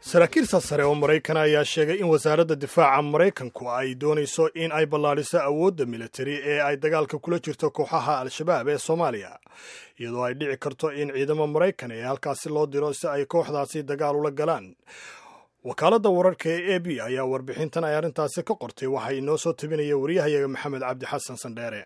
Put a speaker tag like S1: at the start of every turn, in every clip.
S1: Saraakiil sare oo Maraykan ayaa sheegay in Wasaaradda Difaaca Maraykanku ay doonayso in ay ballaadhiso awoodda militari ee ay dagaalka kula jirto kooxaha Al-Shabaab ee Soomaaliya, iyadoo ay dhici karto in ciidamo Maraykan ee halkaasi loo diro si ay kooxdaasi dagaal ula galaan. Wakaaladda wararka ee AP ayaa warbixintan ay arrintaasi ka qortay. Waxay inoo soo tabinaya wariyahayaga Maxamed Cabdi Xasan Sandheere.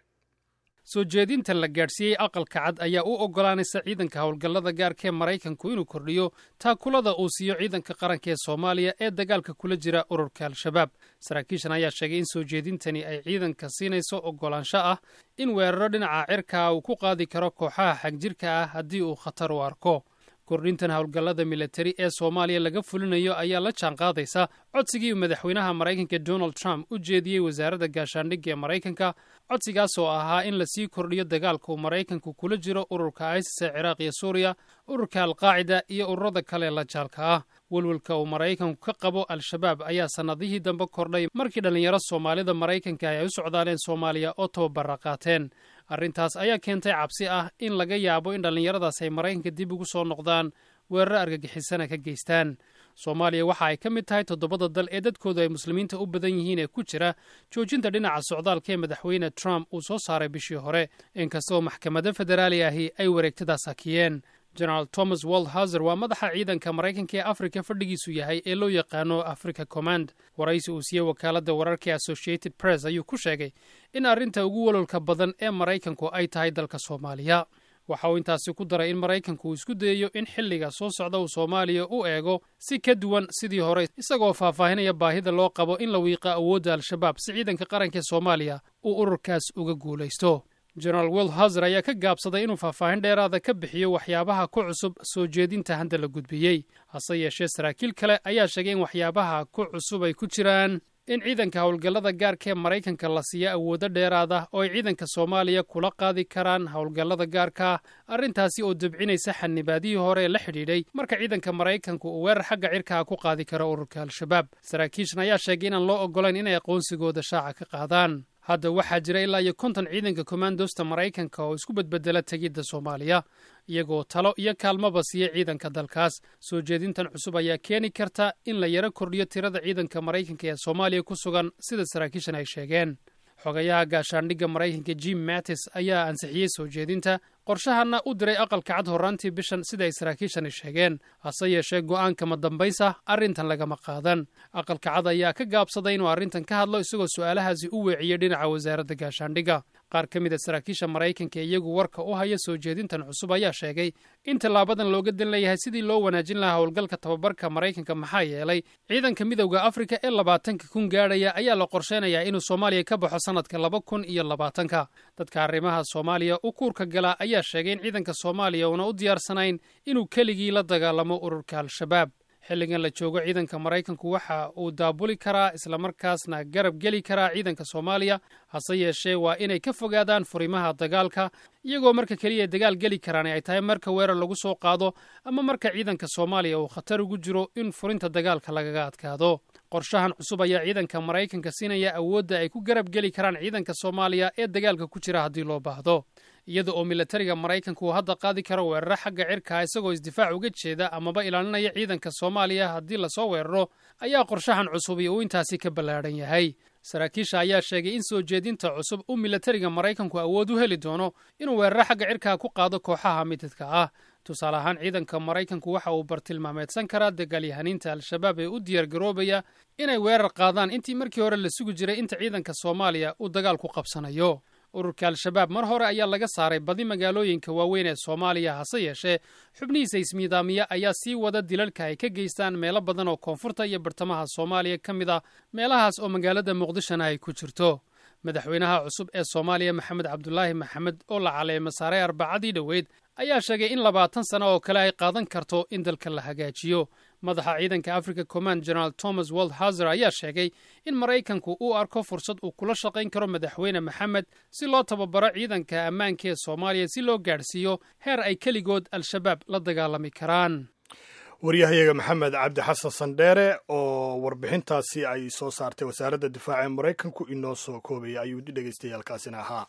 S2: Soo jeedinta la gaadhsiiyey Aqalka Cad ayaa u oggolaanaysa ciidanka howlgallada gaarka ee Maraykanku inuu kordhiyo taakulada uu siiyo ciidanka qaranka ee Soomaaliya ee dagaalka kula jira ururka Al-Shabaab. Saraakiishan ayaa sheegay in soo jeedintani ay ciidanka siinayso oggolaansho ah in weeraro dhinaca cirkaa uu ku qaadi karo kooxaha xagjirka ah haddii uu khatar u arko. Kordhintan howlgallada militari ee Soomaaliya laga fulinayo ayaa la jaan qaadaysa codsigii madaxweynaha Maraykanka Donald Trump u jeediyey Wasaaradda Gaashaandhigga ee Maraykanka, codsigaas oo ahaa in lasii kordhiyo dagaalka uu Maraykanku kula jiro ururka ISIS ee Ciraaq iyo Suuriya, ururka Alqaacida iyo ururada kale la jaalka ah. Welwelka uu Maraykanku ka qabo Al-Shabaab ayaa sannadihii dambe kordhay markii dhallinyaro Soomaalida Maraykanka ay u socdaaleen Soomaaliya oo tababara qaateen. Arrintaas ayaa keentay cabsi ah in laga yaabo in dhallinyaradaas ay Maraykanka dib ugu soo noqdaan, weeraro argagixisana ka geystaan. Soomaaliya waxa ay ka mid tahay toddobada dal ee dadkoodu ay Muslimiinta u badan yihiin ee ku jira joojinta dhinaca socdaalka ee madaxweyne Trump uu soo saaray bishii hore, inkastoo maxkamado federaali ahi ay wareegtadaas hakiyeen. Generaal Thomas Waldhauser waa madaxa ciidanka Maraykanka ee Afrika fadhigiisu yahay ee loo yaqaano Africa Command. Waraysi uu siiyey wakaaladda wararka ee Associated Press ayuu ku sheegay in arrinta ugu walolka badan ee Maraykanku ay tahay dalka Soomaaliya. Waxa uu intaasi ku daray in Maraykanku uu isku dayayo in xilliga soo socda uu Soomaaliya u eego si ka duwan sidii hore, isagoo faahfaahinaya baahida loo qabo in la wiiqa awoodda Al-Shabaab si ciidanka qaranka ee Soomaaliya uu ururkaas uga guulaysto. Generaal Waldhauser ayaa ka gaabsaday inuu faahfaahin dheeraada ka bixiyo waxyaabaha ku cusub soo jeedinta handa la gudbiyey. Hase yeeshee, saraakiil kale ayaa sheegay in waxyaabaha ku cusub ay ku jiraan in ciidanka howlgallada gaarka ee Maraykanka la siiyo awoodo dheeraada oo ay ciidanka Soomaaliya kula qaadi karaan howlgallada gaarka, arrintaasi oo debcinaysa xanibaadihii hore ee la xidhiidhay marka ciidanka Maraykanku uu weerar xagga cirkaa ku qaadi karo ururka Al-Shabaab. Saraakiishan ayaa sheegay inaan loo oggolayn inay aqoonsigooda shaaca ka qaadaan. Hadda waxaa jira ilaa iyo 50 ciidanka kommandosta Maraykanka oo isku bedbedela tegidda Soomaaliya, iyagoo talo iyo kaalmaba siiya ciidanka dalkaas. Soo jeedintan cusub ayaa keeni karta in la yaro kordhiyo tirada ciidanka Maraykanka ee Soomaaliya ku sugan, sida saraakiishan ay sheegeen. Xogayaha gaashaandhigga Maraykanka Jim Mattis ayaa ansixiyey soo jeedinta, qorshahanna u diray Aqalka Cad horraantii bishan, sida ay saraakiishani sheegeen. Hase yeeshee, go'aanka madambaysa arrintan lagama qaadan. Aqalka Cad ayaa ka gaabsaday inuu arrintan ka hadlo, isagoo su'aalahaasi u weeciyey dhinaca Wasaaradda Gaashaandhigga. Qaar ka mid a saraakiisha Maraykanka iyagu warka u haya soo jeedintan cusub ayaa sheegay in tallaabadan looga dan leeyahay sidii loo wanaajin lahaa howlgalka tababarka Maraykanka, maxaa yeelay ciidanka Midowda Afrika ee 20,000 gaadhaya ayaa la qorsheynayaa inuu Soomaaliya ka baxo sanadka 2020-ka. Dadka arrimaha Soomaaliya u kuurka gala ayaa sheegay in ciidanka Soomaaliya uuna u diyaarsanayn inuu keligii la dagaalamo ururka Al-Shabaab. Xilligan la joogo, ciidanka Maraykanku waxa uu daabuli karaa islamarkaasna garab geli karaa ciidanka Soomaaliya. Hase yeeshee, waa inay ka fogaadaan furimaha dagaalka, iyagoo marka keliya dagaal geli karaan ay tahay marka weerar lagu soo qaado ama marka ciidanka Soomaaliya uu khatar ugu jiro in furinta dagaalka lagaga adkaado. Qorshahan cusub ayaa ciidanka Maraykanka siinaya awoodda ay ku garab geli karaan ciidanka Soomaaliya ee dagaalka ku jira haddii loo baahdo. Iyada oo milatariga Maraykanka uu hadda qaadi karo weeraro xagga cirkaa isagoo isdifaac uga jeeda amaba ilaalinaya ciidanka Soomaaliya haddii lasoo weeraro, ayaa qorshahan cusubi uu intaasi ka ballaadhan yahay. Saraakiisha ayaa sheegay in soo jeedinta cusub uu milatariga Maraykanku awood u heli doono inuu weeraro xagga cirkaa ku qaado kooxaha mididka ah. Tusaale ahaan, ciidanka Maraykanku waxa uu bartilmaameedsan karaa dagaalyahaniinta Al-Shabaab ee u diyaargaroobaya inay weerar qaadaan, intii markii hore la sugi jiray inta ciidanka Soomaaliya uu dagaal ku qabsanayo. Ururka Al-Shabaab mar hore ayaa laga saaray badi magaalooyinka waaweyn ee Soomaaliya. Hase yeeshee, xubnihiisa ismiidaamiya ayaa sii wada dilalka ay ka geystaan meelo badan oo koonfurta iyo bartamaha Soomaaliya ka mid ah, meelahaas oo magaalada Muqdishona ay ku jirto. Madaxweynaha cusub ee Soomaaliya, Maxamed Cabdulaahi Maxamed, oo la caleemo saaray Arbacadii dhoweyd, ayaa sheegay in 20 sano oo kale ay qaadan karto in dalka la hagaajiyo. Madaxa ciidanka Africa Command, General Thomas Waldhauser, ayaa sheegay in Maraykanku uu arko fursad uu kula shaqayn karo madaxweyne Maxamed si loo tababaro ciidanka ammaanka ee Soomaaliya, si loo gaadhsiiyo heer ay keligood Al-Shabaab la dagaalami karaan.
S1: Waryahayaga Maxamed Cabdi Xasan Sandheere oo warbixintaasi ay soo saartay Wasaaradda Difaaca ee Maraykanku inoo soo koobaya ayuu dhegeystayaalkaasina ahaa.